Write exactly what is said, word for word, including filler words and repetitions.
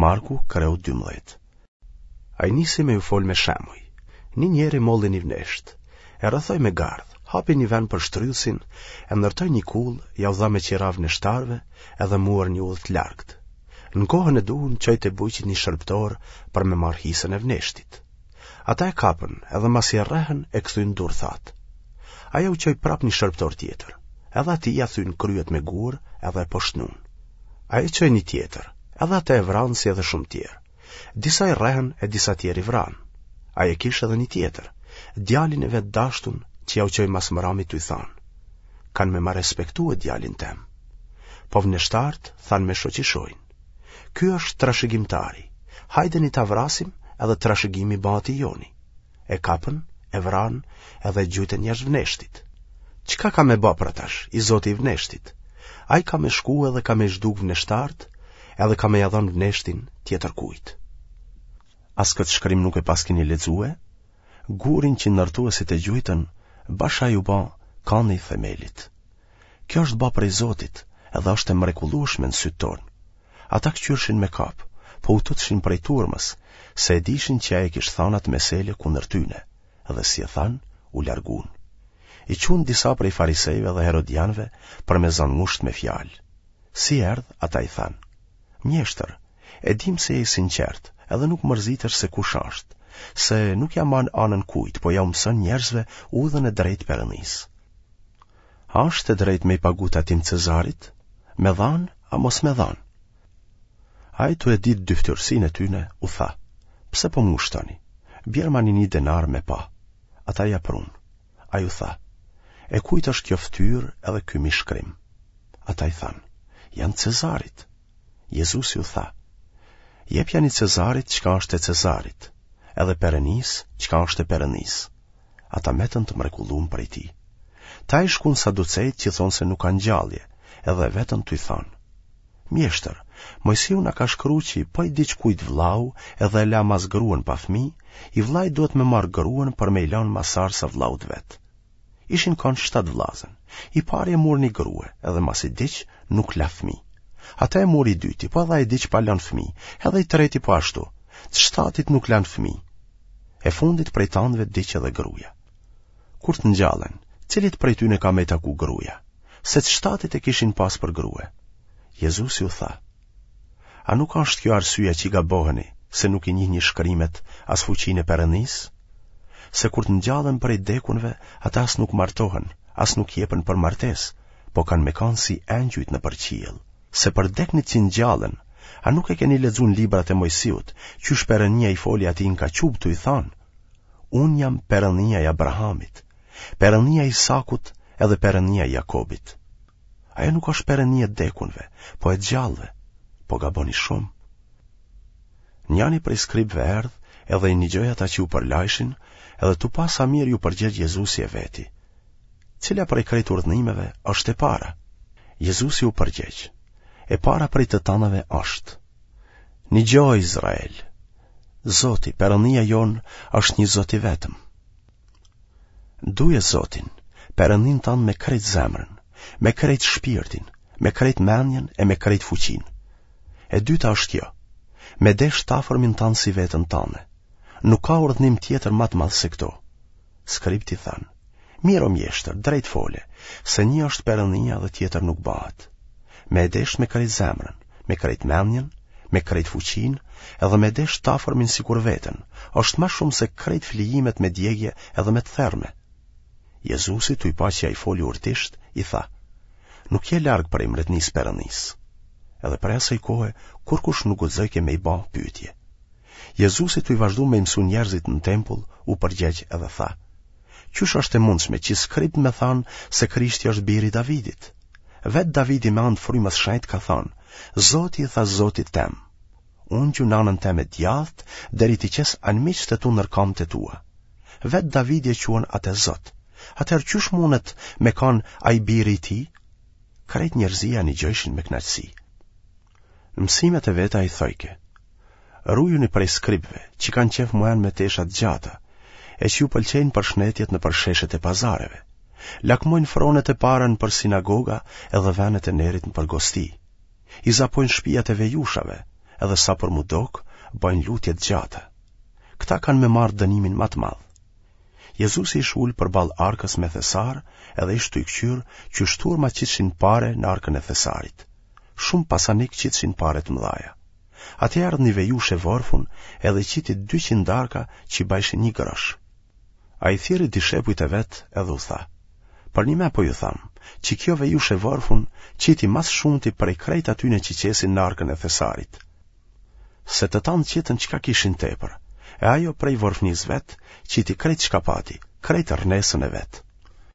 Marku, kreu dymbëdhjetë. Ai nisi me ju fol me shembuj. Një njeri molli një vneshtë, e rrethoi me gardh, hapi një vend për shtrydhësin, e ndërtoi një kullë, jau dha me qira vneshtarëve edhe mur një udhë të largët. Në kohën e duhun çoi te bujqit një shërbëtor për me marrë hisën e vneshtit. Ata e kapën, edhe masi e rrehën e kthyn durthatë. Ai jau çoi prapë një shërbëtor tjetër, edhe atij ia thyn kryet me gurë edhe e poshtnun. Ai çoi një tjetër, edhe atë e vranë si edhe shumë tjerë. Disa i rrehën e disa tjerë i vranë. Ai e kish edhe një tjetër, djalin e vet dashtun që jau çoi mas mrami tuj thanë. Kanë me ma respektue djalin tem. Po vneshtarët thanë me shoqishojnë. Ky është trashëgimtari, hajdeni ta vrasim edhe trashëgimi bahet i joni. E kapën, e vranë edhe e gjujtën jashtë vneshtit. Çka ka me ba pra tash, i zoti i vneshtit? Ai ka me shku edhe ka me zhduk vneshtarët, edhe ka me ja dhënë vneshtin tjetërkujt. As këtë shkrim nuk e paskeni lexue? Gurin që ndërtuesit e gjujtën, bash ai u ba kani i themelit. Kjo është ba prej Zotit, edhe është e mrekullueshme në sytë tonë. Ata këqyrshin me kap, po u tutshin prej turmës, se e dishin që ai e kish thanë atë mesele kundër tyne, dhe si e thanë, u largun. I çunë disa prej farisejve dhe herodianëve për me zanë ngushtë me fjalë. Si erdh, ata i thanë, Mjeshtër, e dimë se je i sinqertë, edhe nuk mërzitesh se kush është, se nuk ja man anën kujt, po jau mëson njerëzve udhën e drejtë Perëndisë. A është e drejtë me i pagu tatim Cezarit? Me dhanë, a mos me dhanë? Ai tu e ditë dyftyrësinë e tyne, u tha, pse po më ngushtoni? Bjermani një denar me pa. Ata ia prunë. Ai u tha, e kujt është kjo ftyrë edhe ky mbishkrim? Ata i thanë, janë Cezarit. Jezusi u tha, jepjani Cezarit çka është e Cezarit, edhe Perënisë çka është e Perënisë. Ata metën të mrekullum prej tij. Te ai shkun saducejtë që thonë se nuk ka ngjallje, edhe e vetën tuj thanë. Mjeshtër, Mojsiu na ka shkru që po i diq kujt vllau edhe e la mas gruen pa fmi, i vllai duhet me marrë gruen për me i lanë masarsa vllaut vet. Ishin kanë shtatë vllazën. I pari e mur një grue, edhe masi diq, nuk la fmi. Atë e mur i dyti, po edhe ai diq pa lanë fmi, edhe i treti po ashtu. Të shtatit nuk lanë fmi. E fundit prej tanëve diq edhe gruja. Kur të ngjallen, cilit prej tyne ka me i taku gruja? Se të shtatit e kishin pas për grue. Jezusi u tha, A nuk është kjo arsyeja që gaboheni, se nuk i njihni shkrimet as fuqinë e Perëndisë? Se kur të ngjallen prej dekunve, ata as nuk martohen, as nuk jepen për martesë, po kanë me kanë si engjujt nëpër qiell. Se për deknit që ngjallen, a nuk e keni lexu në librat e Mojsiut, qysh Perënia i foli atij në kaçubë tuj thanë, Unë jam Perënia e Abrahamit, Perënia e Isakut edhe Perënia e Jakobit. Ajo nuk është Perëni e dekunve, po e gjallëve, po gaboni shumë. Njani prej skribëve erdh edhe i nigjoi ata që u përlajshin, edhe tu pa sa mirë ju përgjegj Jezusi e veti. Cila prej krejt urdhnimeve është e para? Jezusi u përgjegj. E para prej të tanave është. Nigjo Izrael. Zoti, Perëndia jonë, është një Zot i vetëm. Duje Zotin, Perëndinë tand me krejt zemrën, me krejt shpirtin, me krejt mendjen e me krejt fuqinë. E dyta është kjo. Me desh t'afërmin tand si veten tande. Nuk ka urdhnim tjetër ma të madh se këto. Skribët i thanë, Mirë o mjeshtër, drejt fole, se një është Perëndia dhe tjetër nuk bahet. Me e deshtë me krejt zemrën, me krejt mendjen, me krejt fuqinë, edhe me deshtë t'afërmin sikur veten, është ma shumë se krejt flijimet me djegie edhe me të therme. Jezusi tuj pa që ai foli urtisht, i tha, Nuk je larg prej mbretnisë Perëndisë. Edhe prej asaj kohe, kurkush nuk guxojke me i ba pyetje. Jezusi tuj vazhdu me i mësu njerëzit në tempull, u përgjegj edhe tha, Qysh është e mundshme që skribët me thanë se Krishti është biri i Davidit? Vetë Davidi me anë të frymës shenjtë ka thanë, Zoti i tha Zotit tem, ungju n'anën teme djathtë, deri t'i qes anmiqtë e tu nër kamët e tua. Vetë Davidi e quan atë Zot. Atëherë qysh mundet me kanë ai biri i tij? Krejt njerëzia nigjojshin me kënaqësi. Në mësimet e veta ai thojke, Rujuni prej skribëve, që kanë qejf m'u enë me tesha të gjata, e që ju pëlqejnë përshnetjet nëpër sheshet e pazareve. Lakmojnë fronet e para nëpër sinagoga edhe venet e nerit nëpër gosti. I zapojnë shpijat e vejushave, edhe sa për m'u dokë, bajnë lutje të gjata. Këta kanë me marrë dënimin ma të madh. Jezusi ish ulë përballë arkës me thesar edhe ish tuj kqyrë qysh turma qitshin pare në arkën e thesarit. Shumë pasanikë qitshin pare të mëdhaja. Atje erdh një vejushë e vorfun edhe qiti dy qindarka që i bajshin një grosh. Ai thirri dishepujt e vet edhe u tha, Përnime po ju tham, që kjo vejushë e vorfun qiti ma së shumti prej krejt atyne që qesin në arkën e thesarit. Se të tanë qitën çka kishin tepër, e ajo prej vorfnisë vet, qiti krejt çka pati, krejt rrnesën e vet.